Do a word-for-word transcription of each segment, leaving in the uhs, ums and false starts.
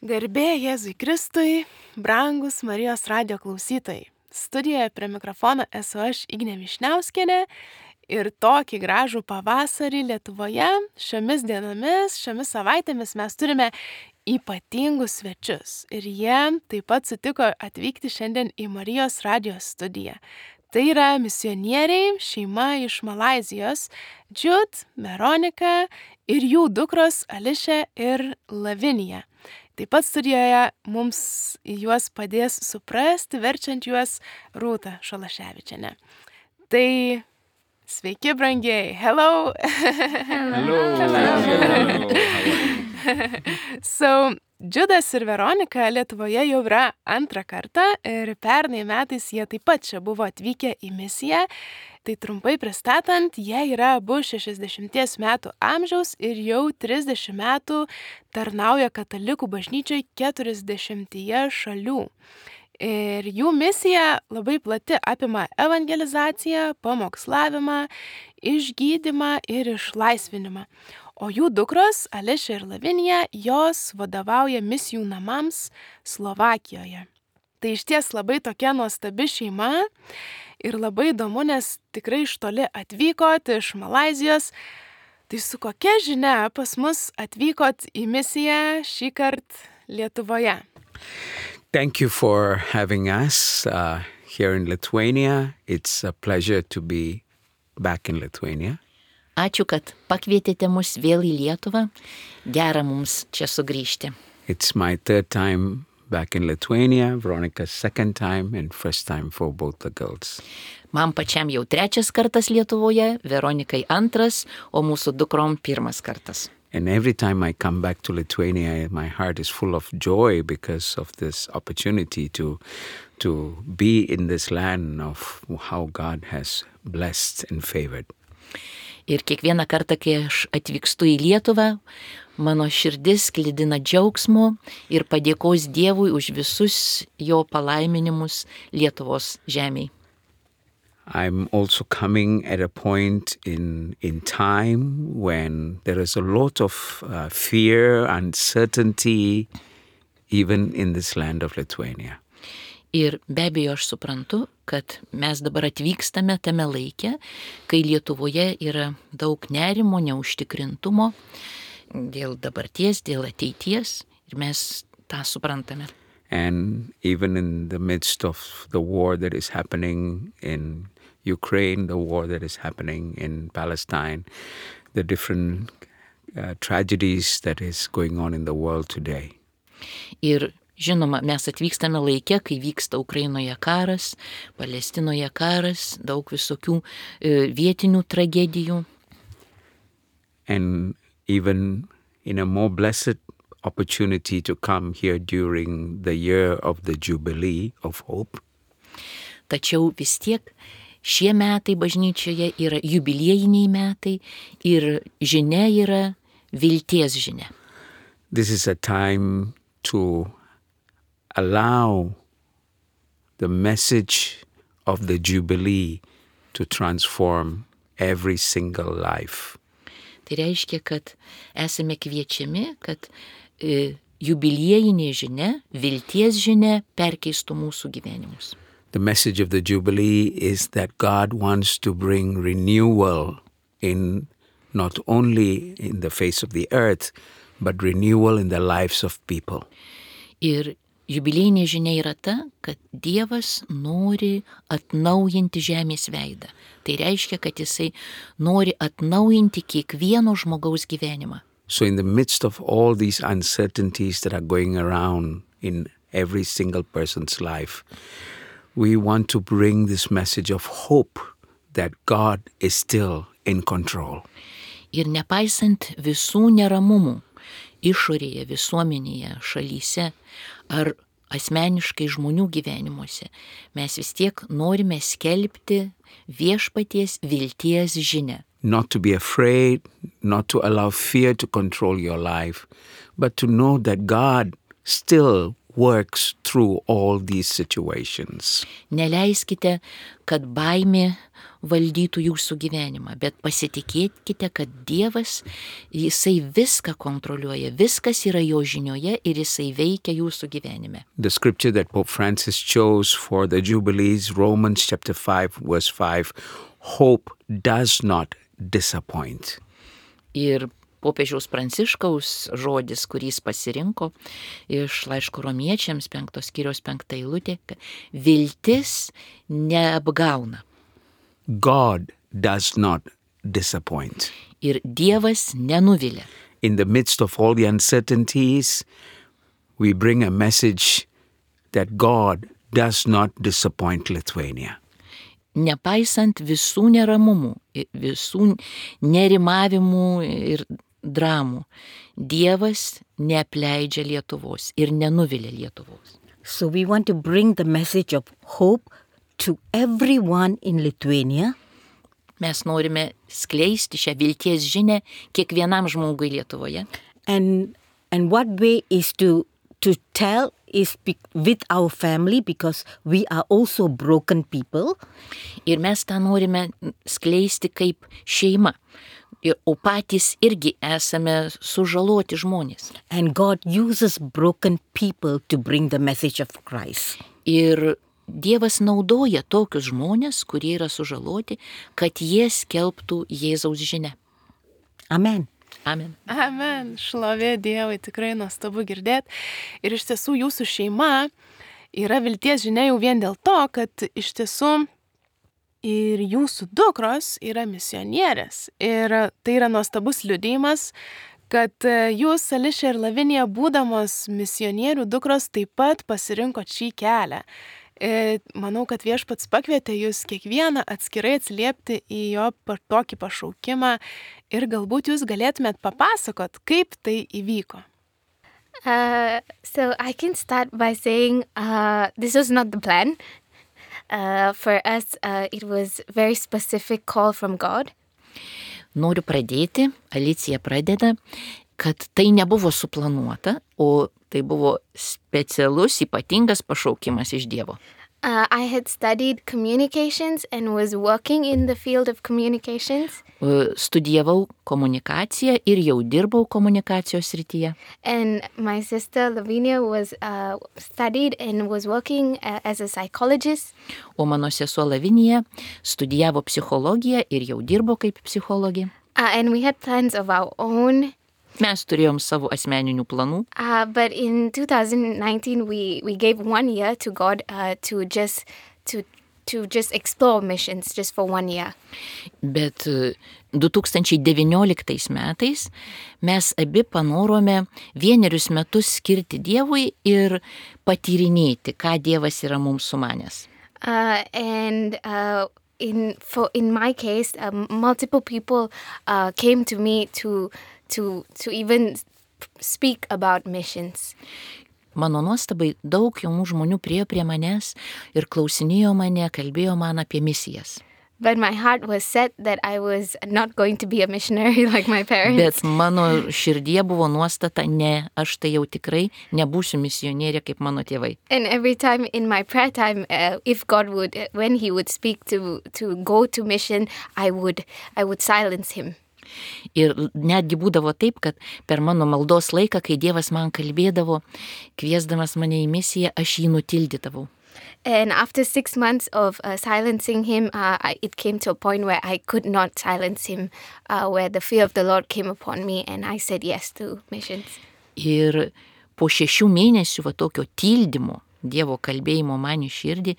Garbė Jėzui Kristui, brangus Marijos radijo klausytojai. Studijoje prie mikrofono esu aš Ignė Višniauskienė ir tokį gražų pavasarį Lietuvoje šiomis dienomis, šiomis savaitėmis mes turime ypatingus svečius ir jie taip pat sutiko atvykti šiandien į Marijos radijo studiją. Tai yra misionieriai, šeima iš Malaizijos, Džud, Veronika ir jų dukros Ališė ir Lavinija. Taip pat studijoje mums juos padės suprasti, verčiant juos Rūta Šalaševičienė. Tai sveiki, brangiai. Hello. Hello. Hello. Hello. So, Džudas ir Veronika Lietuvoje jau yra antrą kartą ir pernai metais jie taip pat čia buvo atvykę į misiją. Tai trumpai pristatant, jie yra abu šešiasdešimties metų amžiaus ir jau trisdešimt metų tarnauja katalikų bažnyčiai keturiasdešimtyje šalių. Ir jų misija labai plati, apima evangelizaciją, pamokslavimą, išgydymą ir išlaisvinimą. O jų dukros, Ališė ir Lavinija, jos vadovauja misijų namams Slovakijoje. Tai išties labai tokia nuostabi šeima ir labai įdomu, nes tikrai iš toli atvykot iš Malaizijos. Tai su kokia žinia pas mus atvykot į misiją šį kartą Lietuvoje? Thank you for having us uh, here in Lithuania. It's a pleasure to be back in Lithuania. Ačiū, kad pakvietėte mus vėl į Lietuvą. Gera mums čia sugrįžti. It's my third time back in Lithuania, Veronica's second time and first time for both the girls. Man pačiam jau trečias kartas Lietuvoje, Veronikai antras, o mūsų dukrom pirmas kartas. And every time I come back to Lithuania, my heart is full of joy because of this opportunity to, to be in this land of how God has blessed and favored. Ir kiekvieną kartą, kai aš atvykstu į Lietuvą, mano širdis sklidina džiaugsmo ir padėkos Dievui už visus jo palaiminimus Lietuvos žemėj. I'm also coming at a point in, in time when there is a lot of uh, fear, uncertainty, even in this land of Lithuania. Ir be abejo aš suprantu, kad mes dabar atvykstame tame laike, kai Lietuvoje yra daug nerimo, neužtikrintumo dėl dabarties, dėl ateities ir mes tą suprantame. And even in the midst of the war that is happening in Ukraine, the war that is happening in Palestine, the different uh, tragedies that is going on in the world today. Ir žinoma, mes atvykstame laike, kai vyksta Ukrainoje karas, Palestinoje karas, daug visokių e, vietinių tragedijų. And even in a more blessed opportunity to come here during the year of the Jubilee of Hope. Tačiau vis tiek šie metai bažnyčioje yra jubiliejiniai metai ir žinia yra vilties žinia. This is a time to allow the message of the Jubilee to transform every single life. Tai reiškia, kad esame kviečiami, kad e, jubiliejinė žinia, vilties žinia perkeistų mūsų gyvenimus. The message of the Jubilee is that God wants to bring renewal in not only in the face of the earth, but renewal in the lives of people. Ir jubiliejinė žinia yra ta, kad Dievas nori atnaujinti žemės veidą. Tai reiškia, kad jisai nori atnaujinti kiekvieno žmogaus gyvenimą. So in the midst of all these uncertainties that are going around in every single person's life, we want to bring this message of hope that God is still in control. Ir nepaisant visų neramumų išorėje, visuomenėje, šalyse ar asmeniškai žmonių gyvenimuose, mes vis tiek norime skelbti viešpaties vilties žinią. Not to be afraid, not to allow fear to control your life, but to know that God still works through all these situations. Neleiskite, kad baimė valdytų jūsų gyvenimą, bet pasitikėkite, kad Dievas, jisai viską kontroliuoja, viskas yra jo žinioje ir jisai veikia jūsų gyvenime. The scripture that Pope Francis chose for the Jubilees, Romans chapter five, verse five, hope does not disappoint. Ir popiežiaus Pranciškaus žodis, kurį jis pasirinko iš laiško Romiečiams penktos skyriaus penkta eilutė, viltis neapgauna. God does not disappoint. Ir Dievas nenuvilia. In the midst of all the uncertainties, we bring a message that God does not disappoint Lithuania. Nepaisant visų neramumų, visų nerimavimų ir dramų, Dievas neapleidžia Lietuvos ir nenuvilia Lietuvos. So we want to bring the message of hope to everyone in Lithuania. Mes norime skleisti šią vilties žinę kiekvienam žmogui Lietuvoje. And and what way is to to tell is be, with our family, because we are also broken people. Ir mes tą norime skleisti kaip šeima. Ir, o patys irgi esame sužaloti žmonės. And God uses broken people to bring the message of Christ. Ir Dievas naudoja tokius žmonės, kurie yra sužaloti, kad jie skelbtų Jėzaus žinią. Amen. Amen. Amen. Šlovė Dievui, tikrai nuostabu girdėti. Ir iš tiesų jūsų šeima yra vilties žinia jau vien dėl to, kad iš tiesų ir jūsų dukros yra misionierės. Ir tai yra nuostabus liudijimas, kad jūs, Ališė ir Lavinija, būdamos misionierių dukros, taip pat pasirinkot šį kelią. Manau, kad Viešpats pakvietė jūs kiekvieną atskirai atsiliepti į jo tokį pašaukimą ir galbūt jūs galėtumėt papasakot, kaip tai įvyko. Uh, so I can start by saying uh, this was not the plan. Uh, for us, uh, it was a very specific call from God. Noriu pradėti, Alicija pradeda, kad tai nebuvo suplanuota, o tai buvo specialus, ypatingas pašaukimas iš Dievo. Uh, I had studied communications and was working in the field of communications. Studijavau komunikaciją ir jau dirbau komunikacijos srityje. And my sister Lavinia was uh, studied and was working uh, as a psychologist. O mano sesuo Lavinija studijavo psichologiją ir jau dirbo kaip psichologė. Uh, and we had plans of our own. Mes turėjom savo asmeninių planų. Uh, but in two thousand nineteen, we, we gave one year to God uh, to just to to just explore missions just for one year. Bet du tūkstančiai devynioliktais metais mes abi panorome vienerius metus skirti Dievui ir patyrinėti, ką Dievas yra mums sumanęs. Uh, and uh, in for in my case, um, multiple people uh, came to me to to to even speak about missions. Mano nuostabai daug jaunų žmonių priėjo prie manęs ir klausinėjo mane, kalbėjo man apie misijas. But my heart was set that I was not going to be a missionary like my parents. Bet mano širdie buvo nuostata, ne, aš tai jau tikrai nebūsiu misionierė kaip mano tėvai. And every time in my prayer time, uh, if God would, uh, when he would speak to to go to mission, I would I would silence him. Ir netgi būdavo taip, kad per mano maldos laiką, kai Dievas man kalbėdavo, kviesdamas mane į misiją, aš jį nutildydavau. And after six months of uh, silencing him, uh, I, it came to a point where I could not silence him, uh, where the fear of the Lord came upon me, and I said yes to missions. Ir po šešių mėnesių va tokio tildymo, Dievo kalbėjimo man į širdį,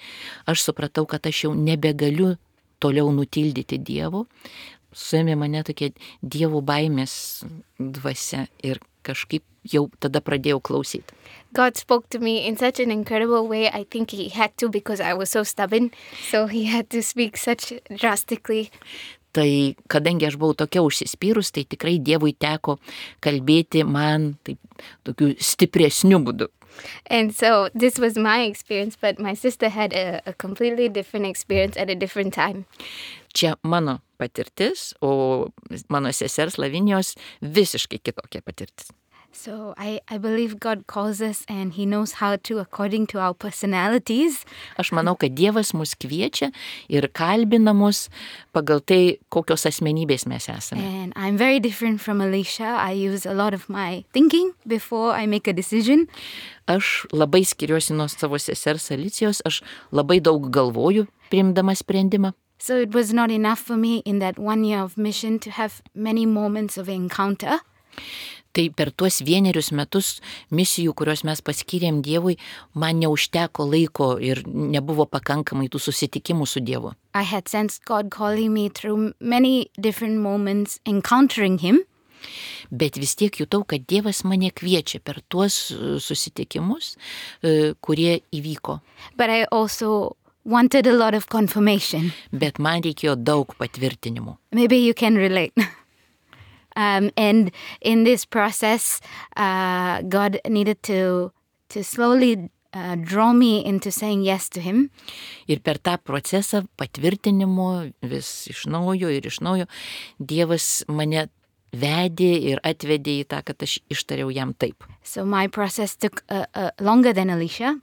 aš supratau, kad aš jau nebegaliu toliau nutildyti Dievo. Suėmė mane tokia Dievo baimės dvasia ir kažkaip jau tada pradėjau klausyti. God spoke to me in such an incredible way. I think he had to because I was so stubborn. So he had to speak such drastically. Tai kadangi aš buvau tokia užsispyrus, tai tikrai Dievui teko kalbėti man taip, tokiu stipresniu būdu. And so this was my experience, but my sister had a, a completely different experience at a different time. Čia mano patirtis, o mano sesers Lavinijos visiškai kitokia patirtis. So I, I believe God calls us and He knows how to according to our personalities. Aš manau, kad Dievas mus kviečia ir kalbina mus pagal tai, kokios asmenybės mes esame. And I'm very different from Alicia. I use a lot of my thinking before I make a decision. Aš labai skiriuosi nuo savo sesers Alicijos, aš labai daug galvoju priimdama sprendimą. So it was not enough for me in that one year of mission to have many moments of encounter. Tai per tuos vienerius metus misijų, kuriuos mes paskyrėm Dievui, man neužteko laiko ir nebuvo pakankamai tų susitikimų su Dievu. I had sensed God calling me through many different moments encountering Him. Bet vis tiek jutau, kad Dievas mane kviečia per tuos susitikimus, kurie įvyko. But I also wanted a lot of confirmation. Bet man reikėjo daug patvirtinimų. Maybe you can relate. Um, and in this process, uh, God needed to to slowly uh, draw me into saying yes to Him. Ir per tą procesą patvirtinimo vis iš naujo ir iš naujo Dievas mane vedė ir atvedė į tą, kad aš ištariau jam taip. So my process took uh, uh, longer than Alicia.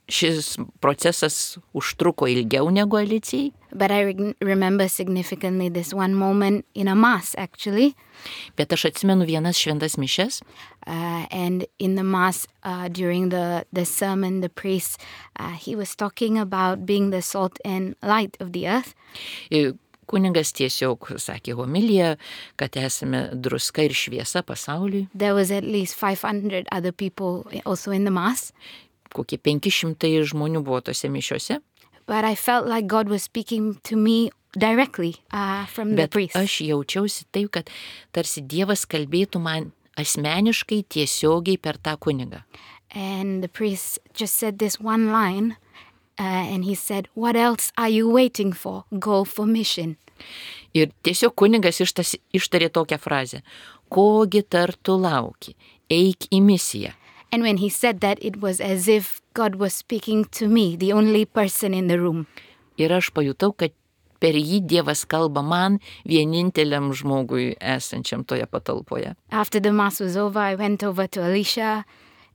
Šis procesas užtruko ilgiau negu Alicijai. But I re- remember significantly this one moment in a mass, actually. Bet aš atsimenu vienas šventas mišes. Uh, and in the mass, uh, during the, the sermon, the priest, uh, he was talking about being the salt and light of the earth. Ir kuningas tiesiog sakė homiliją, kad esame druska ir šviesa pasauliui. There was at least five hundred other people also in the mass. Kokie penki šimtai žmonių buvo tose mišiose. But I felt like God was speaking to me directly uh, from the Bet priest. aš jaučiausi taip, kad tarsi Dievas kalbėtų man asmeniškai tiesiogiai per tą kunigą. And the priest just said this one line, uh, and he said, "What else are you waiting for? Go for mission." Ir tiesiog kunigas ištas, ištarė tokią frazę: kogi tar tu lauki, eik į misiją. And when he said that, it was as if God was speaking to me, the only person in the room. Ir aš pajutau, kad per jį Dievas kalba man, vieninteliam žmogui esančiam toje patalpoje. After the mass was over, I went over to Alicia,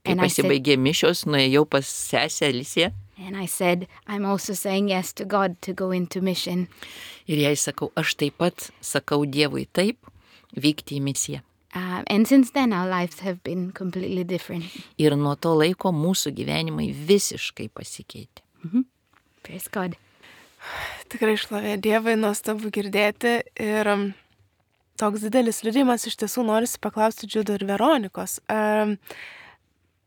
Kai and I said, pasibaigė mišios, nuėjau pas sesę Aliciją and I said, I'm also saying yes to God to go into mission. ir jai sakau, aš taip pat sakau Dievui taip, vykti į misiją. Uh, and since then, our lives have been completely different. Ir nuo to laiko mūsų gyvenimai visiškai pasikeitė. Praise God. Tikrai šlovė Dievui, nuostabu girdėti ir um, toks didelis liudijimas iš tiesų norisi paklausti Džiudo ir Veronikos. Um,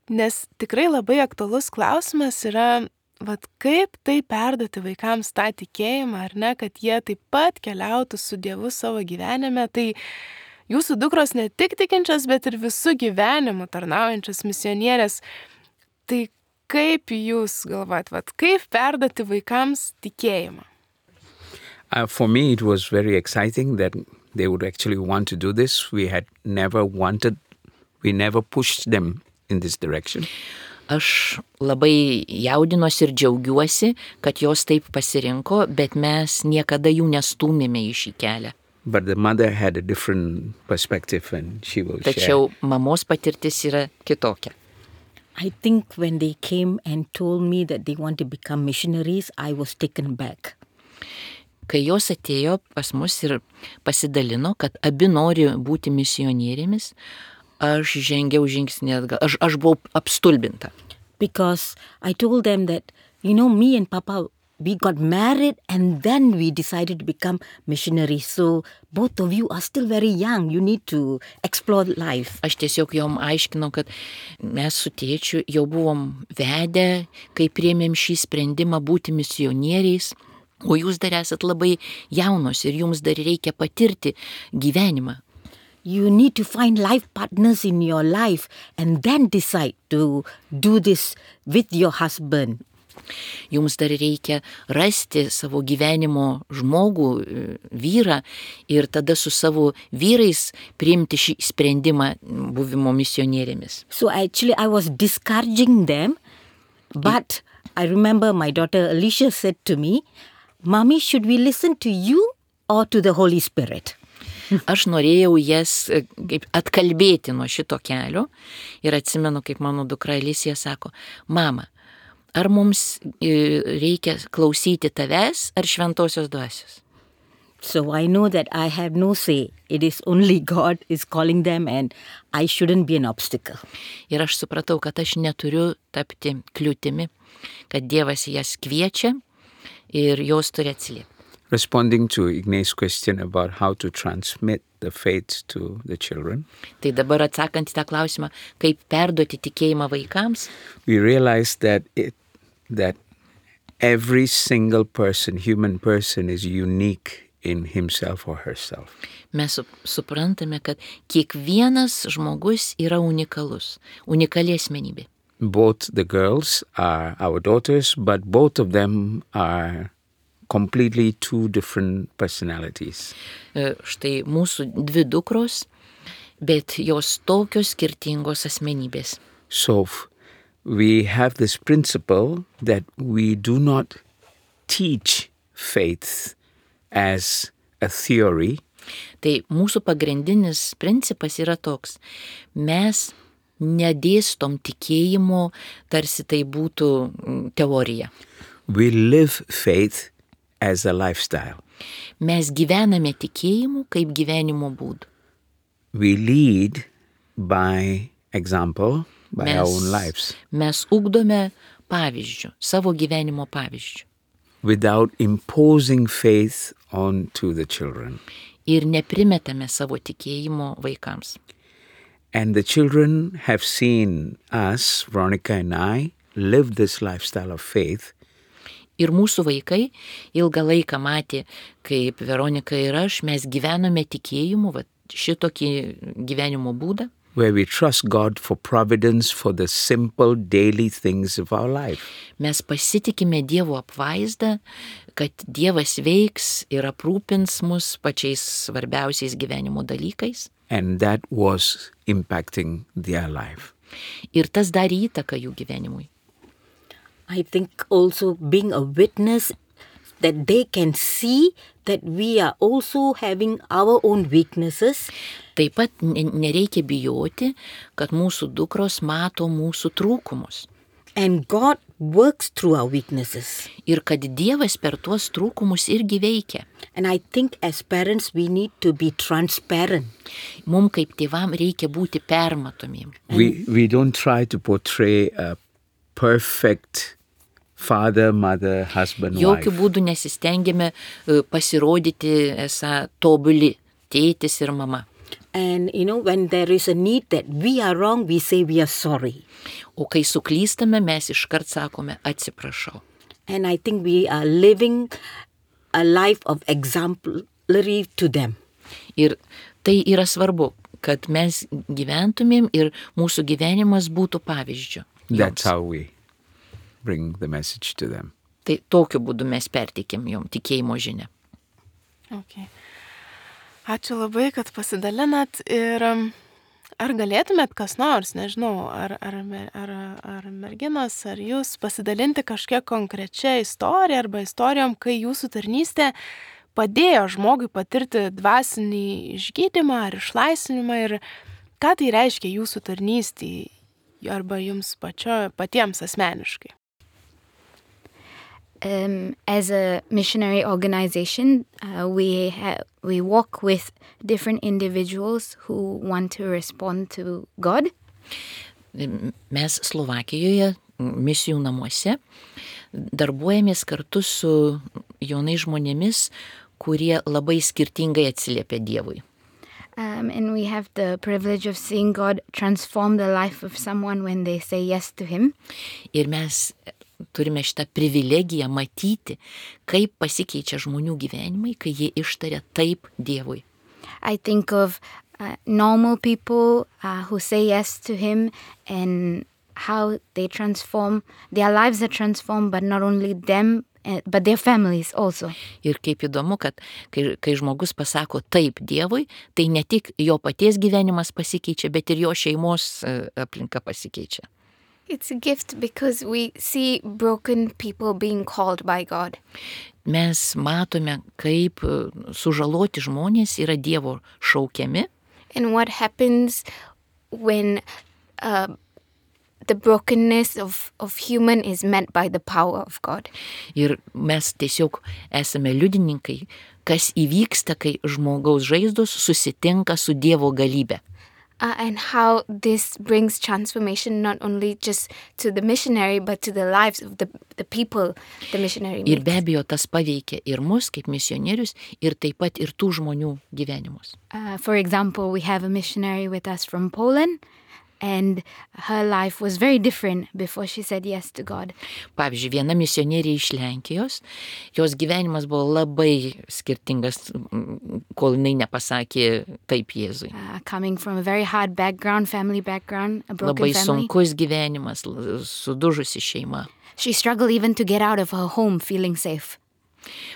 nes tikrai labai aktualus klausimas yra, vat, kaip tai perduoti vaikams tą tikėjimą, ar ne, kad jie taip pat keliautų su Dievu savo gyvenime. Tai jūsų dukros ne tik tikinčios, bet ir visų gyvenimų tarnaujančios misionierės. Tai kaip jūs galvojat, vat, kaip perduoti vaikams tikėjimą? Uh, for me, it was very exciting that they would actually want to do this. We had never wanted, we never pushed them in this direction. Aš labai jaudinuosi ir džiaugiuosi, kad jos taip pasirinko, bet mes niekada jų nestūmėme į šį kelią. But the mother had a different perspective and she will share. Tačiau mamos patirtis yra kitokia. I think when they came and told me that they want to become missionaries, I was taken back. Kai jos atėjo pas mus ir pasidalino, kad abi nori būti misionierėmis, aš žengiau žingsnį atgal. Aš, aš buvau apstulbinta. Because I told them that, you know, me and Papa, we got married and then we decided to become missionaries. So both of you are still very young. You need to explore life. Aš tiesiog jom aiškinau, kad mes su tėčiu jau buvom vedę, kai priėmėm šį sprendimą būti misionieriais, o jūs dar esat labai jaunos ir jums dar reikia patirti gyvenimą. You need to find life partners in your life and then decide to do this with your husband. Jums dar reikia rasti savo gyvenimo žmogų, vyrą ir tada su savo vyrais priimti šį sprendimą buvimo misionierėmis. So actually I was discouraging them, but I remember my daughter Alicia said to me, "Mommy, should we listen to you or to the Holy Spirit?" Aš norėjau jas kaip atkalbėti nuo šito kelio ir atsimenu, kaip mano dukra Elisija sako, mama, ar mums reikia klausyti tavęs ar šventosios dvasios? So I know that I have no say. It is only God is calling them and I shouldn't be an obstacle. Ir aš supratau, kad aš neturiu tapti kliūtimi, kad Dievas jas kviečia ir jos turi atsiliepti. Responding to Ignace's question about how to transmit the faith to the children. Tai dabar atsakant į tą klausimą, kaip perduoti tikėjimą vaikams, we realize that it, that every single person, human person, is unique in himself or herself. Mes suprantame, kad kiekvienas žmogus yra unikalus, unikali asmenybė. Both the girls are our daughters, but both of them are completely two different personalities. Štai mūsų dvi dukros, bet jos tokios skirtingos asmenybės. So we have this principle that we do not teach faith as a theory. Tai mūsų pagrindinis principas yra toks. Mes nedėstom tikėjimo, tarsi tai būtų teorija. We live faith as a lifestyle. Mes gyvename tikėjimu kaip gyvenimo būdu. We lead by example, by mes, our own lives. Mes ugdome pavyzdžių, savo gyvenimo pavyzdžių. Without imposing faith onto the children. Ir neprimetame savo tikėjimo vaikams. And the children have seen us, Veronica and I, live this lifestyle of faith. Ir mūsų vaikai ilgą laiką matė, kaip Veronika ir aš, mes gyvenome tikėjimu, va, šitokį gyvenimo būdą. Where we trust God for providence for the simple daily things of our life. Mes pasitikime Dievo apvaizdą, kad Dievas veiks ir aprūpins mus pačiais svarbiausiais gyvenimo dalykais. And that was impacting their life. Ir tas darė įtaką jų gyvenimui. I think also being a witness that they can see that we are also having our own weaknesses. Taip pat nereikia bijoti, kad mūsų dukros mato mūsų trūkumus. And God works through our weaknesses. Ir kad Dievas per tuos trūkumus irgi veikia. And I think as parents we need to be transparent. Mums kaip tėvam reikia būti permatomiem. We, we don't try to portray a perfect father, mother, husband, Jokių wife. būdų nesistengiame pasirodyti esą tobuli tėtis ir mama. And you know, when there is a need that we are wrong, we say we are sorry. O kai suklystame, mes iškart sakome atsiprašau. And I think we are living a life of exemplary to them. Ir tai yra svarbu, kad mes gyventumėm ir mūsų gyvenimas būtų pavyzdžiu. That's how we bring the message to them. Tai tokiu būdu mes perteikėm jom tikėjimo žinią. Okay. Ačiū labai, kad pasidalinat ir ar galėtumėt kas nors, nežinau, ar, ar, ar, ar merginos, ar jūs pasidalinti kažkiek konkrečia istorija arba istorijom, kai jūsų tarnystė padėjo žmogui patirti dvasinį išgydymą ar išlaisvinimą ir ką tai reiškia jūsų tarnystį arba jums pačio, patiems asmeniškai? Um, as a missionary organization, uh, we ha- we work with different individuals who want to respond to God. Mes Slovakijoje, misijų namuose, darbuojamės kartu su jaunais žmonėmis, kurie labai skirtingai atsiliepia Dievui. Um, and we have the privilege of seeing God transform the life of someone when they say yes to Him. Ir mes turime šitą privilegiją matyti, kaip pasikeičia žmonių gyvenimai, kai jie ištaria taip Dievui. I think of uh, normal people uh, who say yes to Him and how they transform, their lives are transformed, but not only them, uh, but their families also. Ir kaip įdomu, kad kai, kai žmogus pasako taip Dievui, tai ne tik jo paties gyvenimas pasikeičia, bet ir jo šeimos uh, aplinka pasikeičia. It's a gift because we see broken people being called by God. mes matome, kaip sužaloti žmonės yra Dievo šaukiami. And what happens when uh, the brokenness of, of human is met by the power of God. Ir mes tiesiog esame liudininkai, kas įvyksta, kai žmogaus žaizdos susitinka su Dievo galybė. Uh, and how this brings transformation not only just to the missionary, but to the lives of the, the people the missionary Ir be meets. abejo, tas paveikia ir mus kaip misionierius, ir taip pat ir tų žmonių gyvenimus. Uh, for example, we have a missionary with us from Poland, and her life was very different before she said yes to God. Pavyzdžiui, viena misionierė iš Lenkijos, jos gyvenimas buvo labai skirtingas, kol jinai nepasakė taip Jėzui. Uh, coming from a very hard background, family background, a broken Labai family. sunkus gyvenimas, sudužusi šeima. She struggled even to get out of her home feeling safe.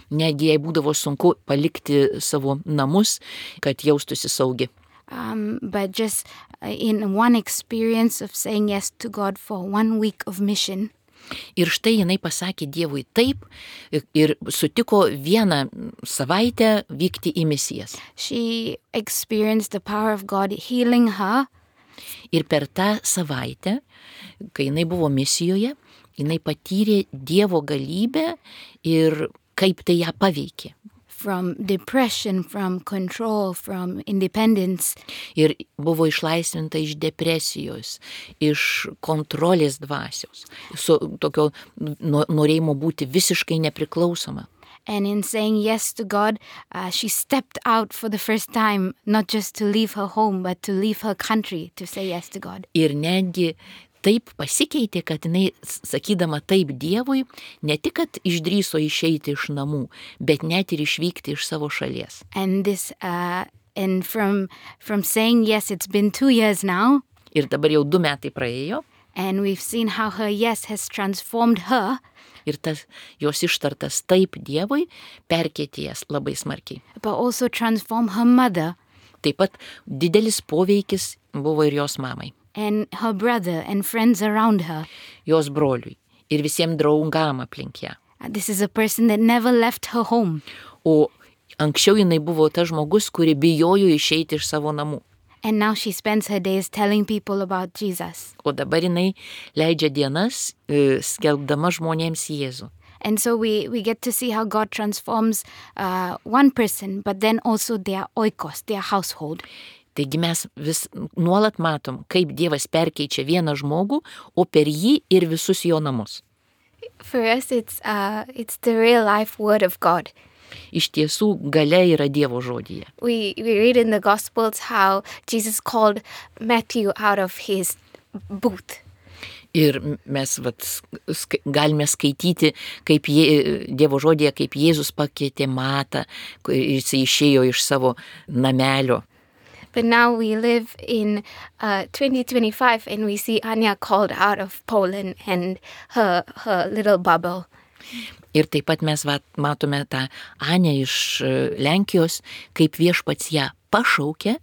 Netgi jai būdavo sunku palikti savo namus, kad jaustųsi saugi. Um, but just uh, in one experience of saying yes to God for one week of mission, Ir štai jinai pasakė Dievui taip ir sutiko vieną savaitę vykti į misijas. she experienced the power of God healing her. Ir per tą savaitę, kai jinai buvo misijoje, jinai patyrė Dievo galybę ir kaip tai ją paveikė. From depression, from control, from independence. Ir buvo išlaisvinta iš depresijos, iš kontrolės dvasios, su tokio no- norėjimo būti visiškai nepriklausoma. And in saying yes to God, uh, she stepped out for the first time, not just to leave her home, but to leave her country to say yes to God. Ir netgi taip pasikeitė, kad jinai, sakydama taip Dievui, ne tik, kad išdrįso išeiti iš namų, bet net ir išvykti iš savo šalies. And this, uh, and from from saying yes, it's been two years now, Ir dabar jau du metai praėjo, and we've seen how her yes has transformed her, ir tas jos ištartas taip Dievui perkeitė jas labai smarkiai. but also transform her mother Taip pat didelis poveikis buvo ir jos mamai, and her brother and friends around her. jos broliui ir visiems draugam aplink ją. Uh, This is a person that never left her home. O anksčiau jinai buvo tas žmogus, kuri bijojo išeiti iš savo namų. And now she spends her days telling people about Jesus. O dabar jinai leidžia dienas e, skelbdama žmonėms Jėzų. And so we, we get to see how God transforms uh, one person, but then also their oikos, their household. Taigi mes vis nuolat matom, kaip Dievas perkeičia vieną žmogų, o per jį ir visus jo namus. For us, it's, uh, it's the real life word of God. Iš tiesų, galia yra Dievo žodyje. We, we read in the Gospels how Jesus called Matthew out of his booth. Ir mes vat, sk galime skaityti, kaip jie, Dievo žodyje, kaip Jėzus pakeitė Matą, jis išėjo iš savo namelio. But now we live in uh, twenty twenty-five and we see Anya called out of Poland and her, her little bubble. Ir taip pat mes vat, matome tą Anę iš e, Lenkijos, kaip Viešpats ją pašaukė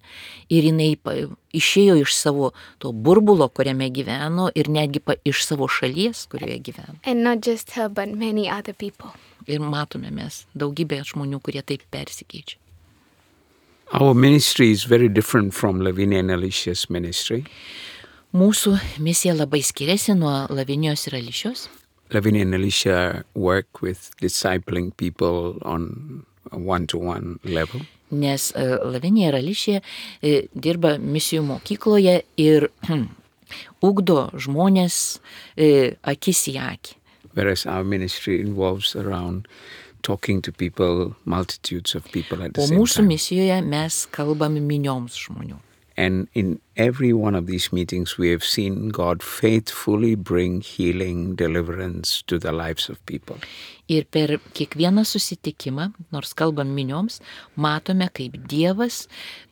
ir jinai pa, išėjo iš savo to burbulo, kuriame gyveno, ir netgi pa, iš savo šalies, kurioje gyveno. And not just her, but many other people. Ir matome mes daugybę žmonių, kurie taip persikeičia. Our ministry is very different from Lavinia and Alicia's ministry. Mūsų misija labai skiriasi nuo Lavinijos ir Ališios. Lavinia and Alicia work with discipling people on a one-to-one level. Nes uh, Lavinija ir Ališija uh, dirba misijų mokykloje ir ugdo žmonės uh, akis į akį. Whereas our ministry involves around talking to people, multitudes of people at the O same mūsų time. misijoje mes kalbame minioms žmonių. And in every one of these meetings, we have seen God faithfully bring healing, deliverance to the lives of people. Ir per kiekvieną susitikimą, nors kalbam minioms, matome, kaip Dievas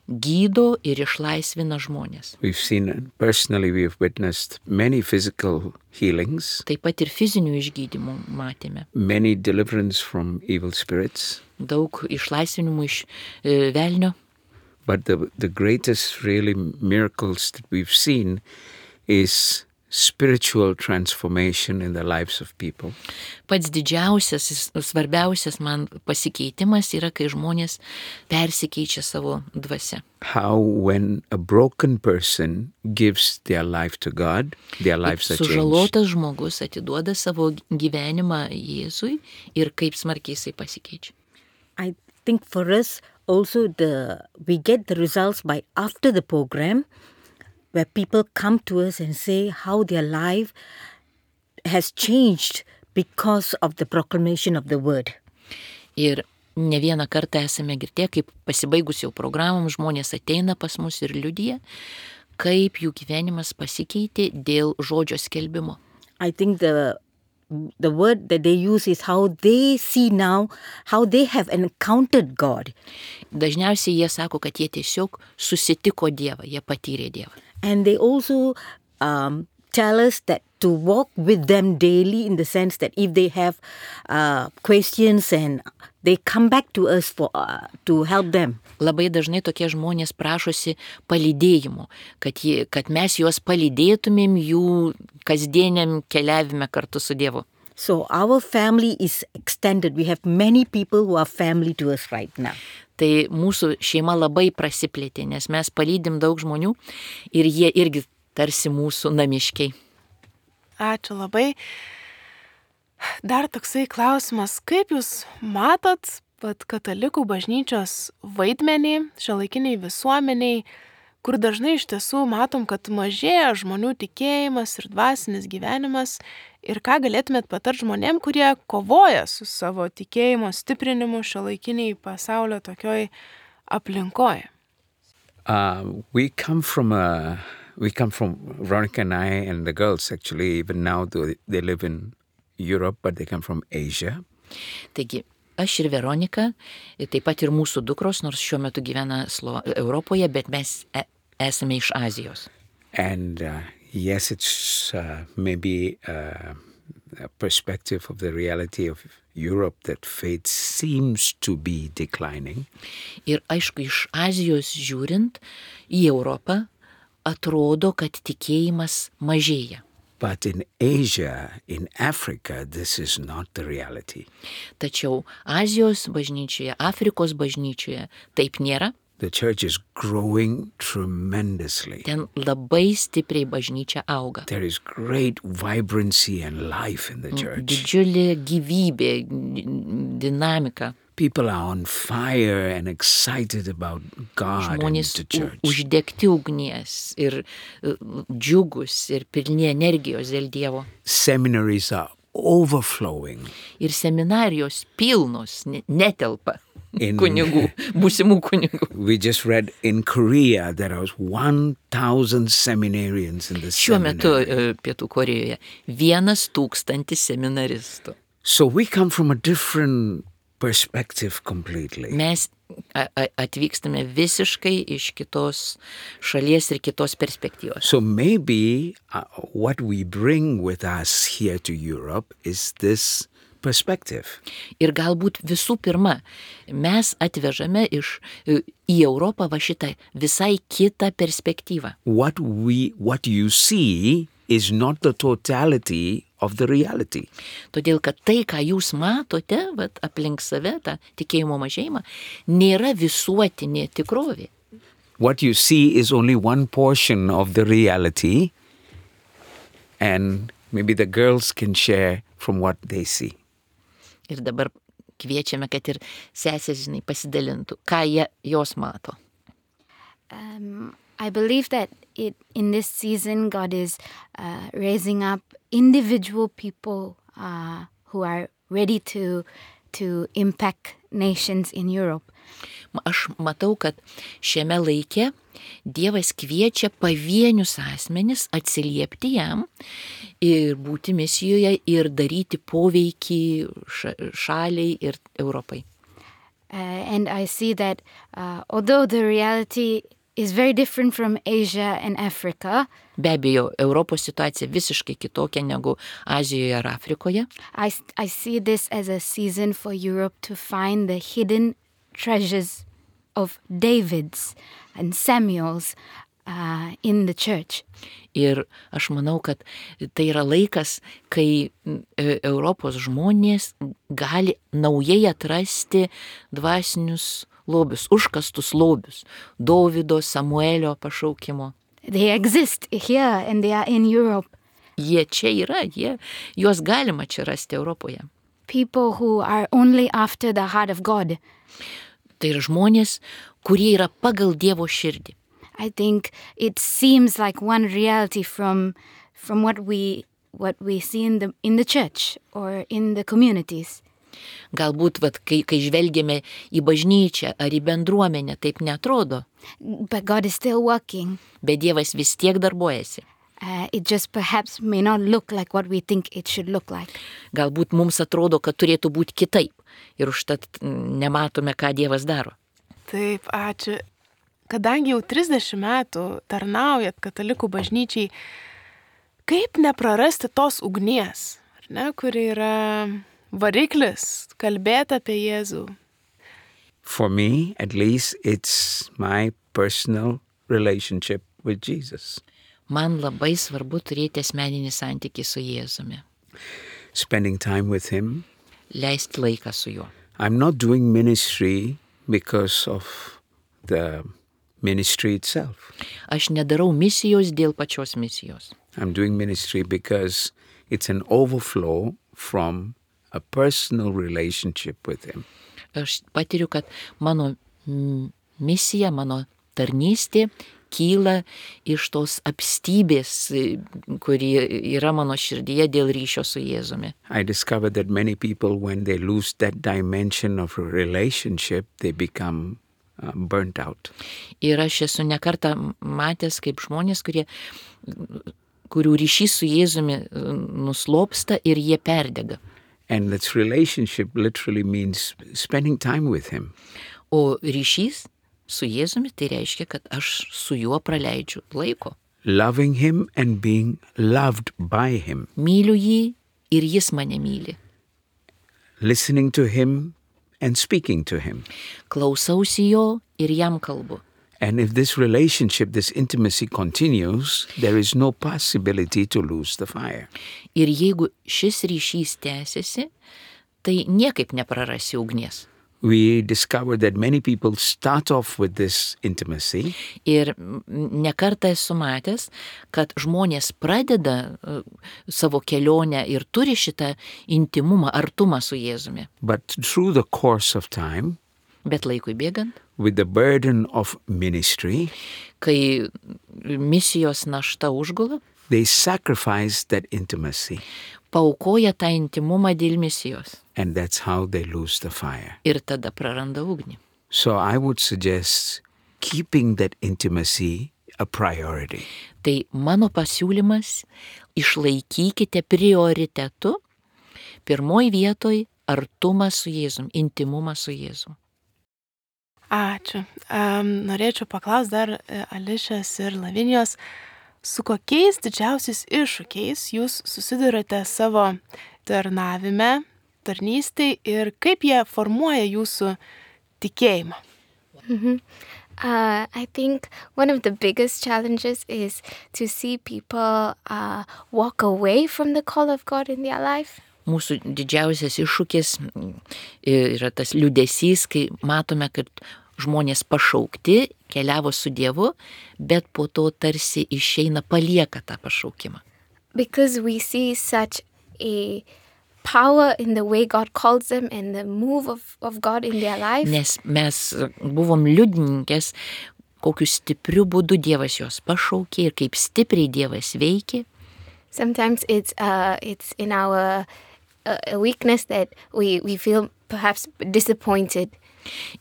gydo ir išlaisvina žmonės. We've seen, personally, we have witnessed many physical healings, Taip pat ir fizinių išgydymų matėme. many deliverance from evil spirits. Daug išlaisvinimų iš e, velnio. But the, the greatest really miracles that we've seen is spiritual transformation in the lives of people. Pats didžiausias, svarbiausias man pasikeitimas yra, kai žmonės persikeičia savo dvasia. How when a broken person gives their life to God, their lives are changed. Sužalotas žmogus atiduoda savo gyvenimą Jėzui ir kaip smarkiai jisai pasikeičia. I think for us also the we get the results by after the program, where people come to us and say how their life has changed because of the proclamation of the word. Ir ne vieną kartą esame girdėję, kaip pasibaigus jau programom žmonės ateina pas mus ir liudija, kaip jų gyvenimas pasikeitė dėl žodžio skelbimo. I think the the word that they use is how they see now, how they have encountered God. Dažniausiai jie sako, kad jie tiesiog susitiko Dievą, jie patyrė Dievą. And they also um, tell us that to walk with them daily, in the sense that if they have uh, questions and they come back to us for uh, to help them. Labai dažnai tokie žmonės prašosi palydėjimo, kad, jie, kad mes juos palydėtumėm jų kasdieniam keliavime kartu su Dievu. So our family is extended. We have many people who are family to us right now. Tai mūsų šeima labai prasiplėtė, nes mes palydim daug žmonių ir jie irgi tarsi mūsų namiškiai. Ačiū labai. Dar toksai klausimas, kaip jūs matot pat katalikų bažnyčios vaidmenį šiuolaikiniai visuomeniai, kur dažnai iš tiesų matom, kad mažėja žmonių tikėjimas ir dvasinis gyvenimas, ir ką galėtumėt patart žmonėm, kurie kovoja su savo tikėjimo stiprinimu šiuolaikiniai pasaulio tokioj aplinkoje? Uh, we come from a, we come from Veronica and I and the girls actually, even now they, they live in Europe, but they come from Asia. Taigi, aš ir Veronika, taip pat ir mūsų dukros, nors šiuo metu gyvena Slo- Europoje, bet mes e- esame iš Azijos. And uh, yes, it's uh, maybe uh, a perspective of the reality of Europe that faith seems to be declining. Ir aišku, iš Azijos žiūrint į Europą, atrodo, kad tikėjimas mažėja. But in Asia, in Africa, this is not the reality. Tačiau Azijos bažnyčioje, Afrikos bažnyčioje taip nėra. The church is growing tremendously. Ten labai stipriai bažnyčia auga. There is great vibrancy and life in the church. Didžiulė gyvybė, dinamika. People are on fire and excited about God and Žmonės the church. u- uždegti ugnies ir uh, džiugus ir pilni energijos dėl Dievo. Seminaries are overflowing. Ir seminarijos pilnos, ne- netelpa In- kunigų, būsimų kunigų. We just read in Korea there was one thousand seminarians in the Šiuo metu seminary. uh, Pietų Korėjoje vienas tūkstantis seminaristų. So we come from a different perspective completely. Mes a- a- atvykstame visiškai iš kitos šalies ir kitos perspektyvos. So maybe uh, what we bring with us here to Europe is this perspective. Ir galbūt visų pirma, mes atvežame iš e, į Europą va šitą visai kitą perspektyvą. What we what you see is not the totality of the reality. Todėl, kad tai, ką jūs matote, vat, aplink save, tą tikėjimo mažėjimą, nėra visuotinė tikrovė. What you see is only one portion of the reality, and maybe the girls can share from what they see. Ir dabar kviečiame, kad ir sesės, žinai, pasidalintų, ką jie, jos mato. Um, I believe that it, in this season, God is uh, raising up individual people uh, who are ready to to impact nations in Europe. Aš matau, kad šiame laike Dievas kviečia pavienius asmenis atsiliepti jam ir būti misijoje ir daryti poveikį ša- šaliai ir Europai. Uh, and I see that uh, although the reality is very different from Asia and Africa, Be abejo, Europos situacija visiškai kitokia negu Azijoje ar Afrikoje. I, s- I see this as a season for Europe to find the hidden treasures of David's and Samuel's uh, in the church. Ir aš manau, kad tai yra laikas, kai e, Europos žmonės gali naujai atrasti dvasinius lobius, užkastus lobius, Dovydo, Samuelio pašaukimo. They exist here and they are in Europe. Jie čia yra, jie, juos galima čia rasti Europoje. People who are only after the heart of God. Tai yra žmonės, kurie yra pagal Dievo širdį. I think it seems like one reality from from what we what we see in the in the church or in the communities. Galbūt, vat, kai, kai žvelgiame į bažnyčią ar į bendruomenę, taip netrodo. But God is still working. Bet Dievas vis tiek darbuojasi. Uh, it just perhaps may not look like what we think it should look like. Galbūt mums atrodo, kad turėtų būti kitaip. Ir užtat nematome, ką Dievas daro. Taip, ačiū. Kadangi jau trisdešimt metų tarnaujat katalikų bažnyčiai, kaip neprarasti tos ugnies, ar ne, kuri yra variklis kalbėti apie Jėzų? For me, at least, it's my personal relationship with Jesus. Man labai svarbu turėti asmeninį santykį su Jėzumi. Spending time with him. Leisti laiką su juo. I'm not doing ministry because of the ministry itself. Aš nedarau misijos dėl pačios misijos. I'm doing ministry because it's an overflow from a personal relationship with him. Aš patiriu, kad mano misija, mano tarnystė kyla iš tos apstybės, kuri yra mano širdyje dėl ryšio su Jėzumi. I discovered that many people, when they lose that dimension of a relationship, they become uh, burnt out. Ir aš esu nekartą matęs, kaip žmonės, kurie, kurių ryšys su Jėzumi nuslopsta ir jie perdega. And this relationship literally means spending time with him. O ryšys su Jėzumi tai reiškia, kad aš su juo praleidžiu laiko. Loving him and being loved by him. Myliu jį ir jis mane myli. Listening to him and speaking to him. Klausausi jo ir jam kalbu. And if this relationship, this intimacy continues, there is no possibility to lose the fire. Ir jeigu šis ryšys tęsiasi, tai niekaip neprarasi ugnies. We discovered that many people start off with this intimacy. Ir nekartą esu matęs, kad žmonės pradeda uh, savo kelionę ir turi šitą intimumą, artumą su Jėzumi. But through the course of time, bet laikui bėgant, with the burden of ministry, kai misijos našta užgula, they sacrifice that intimacy. Paaukoja tą intimumą dėl misijos. And that's how they lose the fire. Ir tada praranda ugnį. So I would suggest keeping that intimacy a priority. Tai mano pasiūlymas, išlaikykite prioritetu pirmoj vietoj artumą su Jėzum, intimumą su Jėzum. Ačiū. Um, norėčiau paklausti dar Ališės ir Lavinijos, su kokiais didžiausiais iššūkiais jūs susidurite savo tarnavime, tarnystėj ir kaip jie formuoja jūsų tikėjimą? Mm-hmm. Uh, I think one of the biggest challenges is to see people uh, walk away from the call of God in their life. Mūsų didžiausias iššūkis yra tas liūdesys, kai matome, kad žmonės pašaukti, keliavo su Dievu, bet po to tarsi išeina, palieka tą pašaukimą. Because we see such a power in the way God calls them and the move of, of God in their life. Nes mes buvom liudininkės, kokiu stipriu būdu Dievas jos pašaukė ir kaip stipriai Dievas veikė. Sometimes it's uh it's in our uh, a weakness that we we feel perhaps disappointed.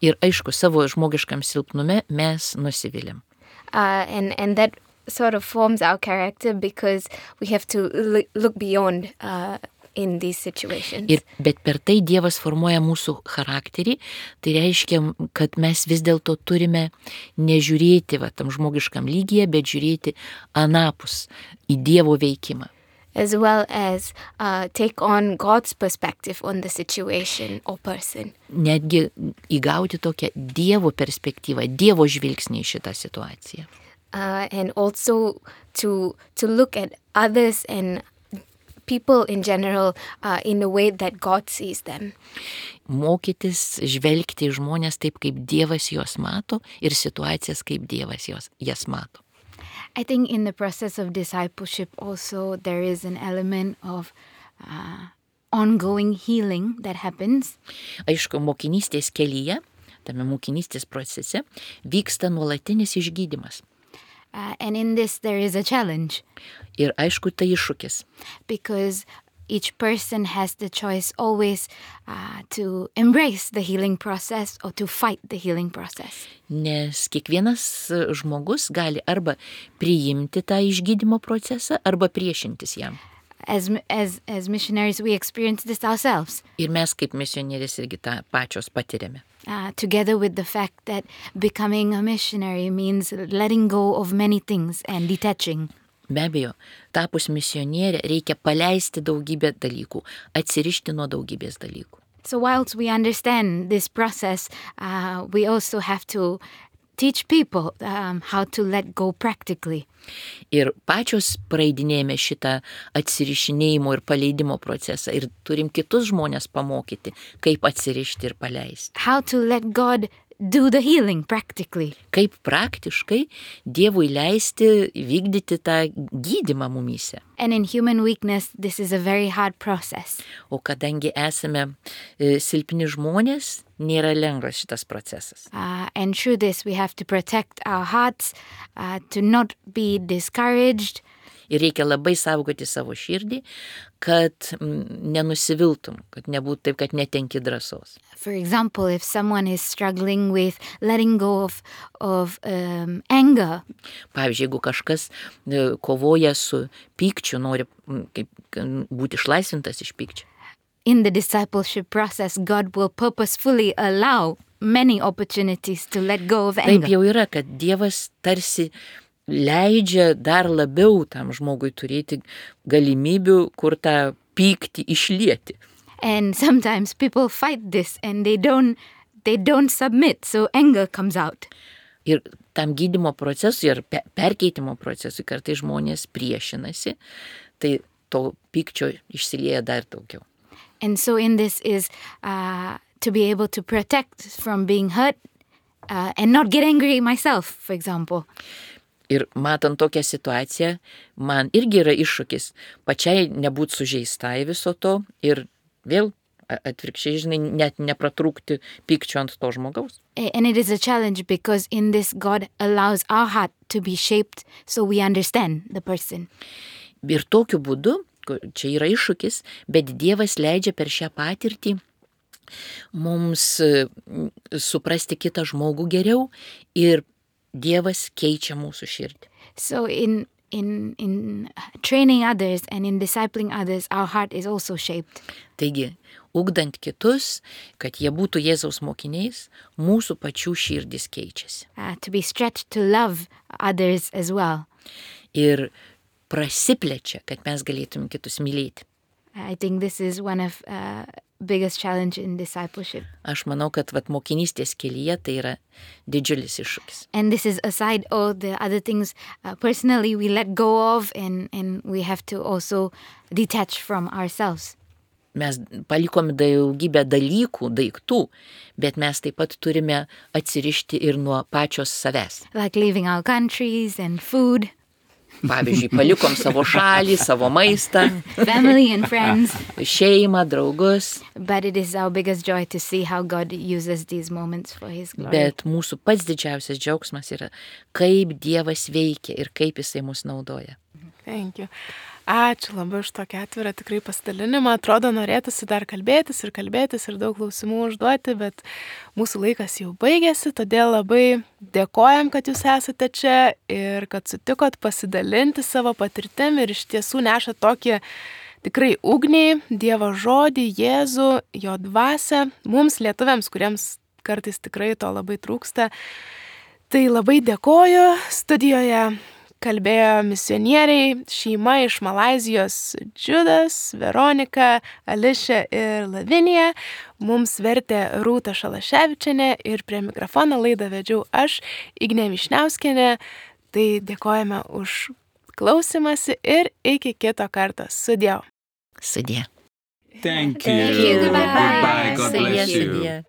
Ir aišku, savo žmogiškam silpnume mes nusiviliam. Uh, and and that sort of forms our character because we have to look, look beyond uh, in these situations. Ir, bet per tai Dievas formuoja mūsų charakterį, tai reiškia, kad mes vis dėlto turime nežiūrėti va, tam žmogiškam lygyje, bet žiūrėti anapus į Dievo veikimą. As well as uh, take on God's perspective on the situation or person. Netgi įgauti tokią Dievo perspektyvą, Dievo žvilgsnį į šitą situaciją. uh, and also to to look at others and people in general uh, in the way that God sees them. Mokytis žvelgti į žmonės taip, kaip Dievas juos mato ir situacijas, kaip Dievas juos, jas mato. I think in the process of discipleship also there is an element of uh, ongoing healing that happens. Aišku, mokinystės kelyje, tame mokinystės procese, vyksta nuolatinis išgydymas. Uh, and in this there is a challenge. Ir aišku, tai iššūkis. Because each person has the choice always uh, to embrace the healing process or to fight the healing process. Nes kiekvienas žmogus gali arba priimti tą išgydymo procesą, arba priešintis jam. As, as, as missionaries we experience this ourselves. Ir mes kaip misionierės irgi tą pačios patiriame. Uh, together with the fact that becoming a missionary means letting go of many things and detaching. Be abejo, tapus misionierė reikia paleisti daugybę dalykų, atsirišti nuo daugybės dalykų. So whilst we understand this process, uh, we also have to teach people um, how to let go practically. Ir pačios praeidinėjame šitą atsirišinėjimo ir paleidimo procesą ir turim kitus žmonės pamokyti, kaip atsirišti ir paleisti. How to let God do the healing practically. Kaip praktiškai Dievui leisti vykdyti tą gydymą mumyse. And in human weakness, this is a very hard process. O kadangi esame e, silpni žmonės, nėra lengvas šitas procesas. Uh, and through this, we have to protect our hearts, uh, to not be discouraged. Ir reikia labai saugoti savo širdį, kad mm, nenusiviltum, kad nebūtų taip, kad netenki drąsos. For example, if someone is struggling with letting go of, of um, anger, Pavyzdžiui, jeigu kažkas e, kovoja su pykčiu, nori mm, kaip, k- būti išlaisvintas iš pykčio. in the discipleship process, God will purposefully allow many opportunities to let go of Taip anger. jau yra, kad Dievas tarsi leidžia dar labiau tam žmogui turėti galimybių, kur tą pyktį išlieti. And sometimes people fight this and they don't they don't submit, so anger comes out. Ir tam gydymo procesui ir pe- perkeitimo procesui kartai žmonės priešinasi, tai to pykčio išsilieja dar daugiau. And so in this is uh, to be able to protect from being hurt uh, and not get angry myself, for example. Ir matant tokią situaciją, man irgi yra iššūkis pačiai nebūti sužeistai viso to ir vėl a- atvirkščiai, žinai, net nepratrūkti pykčio ant to žmogaus. A- And it is a challenge because in this God allows our heart to be shaped so we understand the person. Ir tokiu būdu, ku- čia yra iššūkis, bet Dievas leidžia per šią patirtį mums e, m, suprasti kitą žmogų geriau ir Dievas keičia mūsų širdį. So in in in training others and in discipling others, our heart is also shaped. Taigi, ugdant kitus, kad jie būtų Jėzaus mokiniais, mūsų pačių širdis keičiasi. Uh, to be stretched to love others as well. Ir prasiplečia, kad mes galėtum kitus mylėti. I think this is one of uh, biggest challenge in discipleship. Aš manau, kad vat, mokinystės kelyje tai yra didžiulis iššūkis. And this is aside all the other things uh, personally we let go of and, and we have to also detach from ourselves. Mes palikome daugybę dalykų, daiktų, bet mes taip pat turime atsirišti ir nuo pačios savęs. Like leaving our countries and food, Pavyzdžiui, palikom savo šalį, savo maistą, family and friends. šeimą, draugus, But it is our biggest joy to see how God uses these moments for His glory. bet mūsų pats didžiausias džiaugsmas yra, kaip Dievas veikia ir kaip Jisai mus naudoja. Thank you. Ačiū labai už tokį atvirą tikrai pasidalinimą. Atrodo, norėtųsi dar kalbėtis ir kalbėtis ir daug klausimų užduoti, bet mūsų laikas jau baigėsi, todėl labai dėkojam, kad jūs esate čia ir kad sutikot pasidalinti savo patirtim ir iš tiesų nešat tokį tikrai ugnį, Dievo žodį, Jėzų, jo dvasią, mums lietuviams, kuriems kartais tikrai to labai trūksta. Tai labai dėkoju. Studijoje kalbėjo misionieriai, šeima iš Malaizijos Džiudas, Veronika, Ališė ir Lavinija. Mums vertė Rūta Šalaševičienė ir prie mikrofono laidą vedžiau aš, Ignė Mišniauskienė. Tai dėkojame už klausimąsi ir iki kito karto. Sudie. Sudie. Thank you. Thank you. Goodbye. Goodbye. God Sudie, bless you. sudie.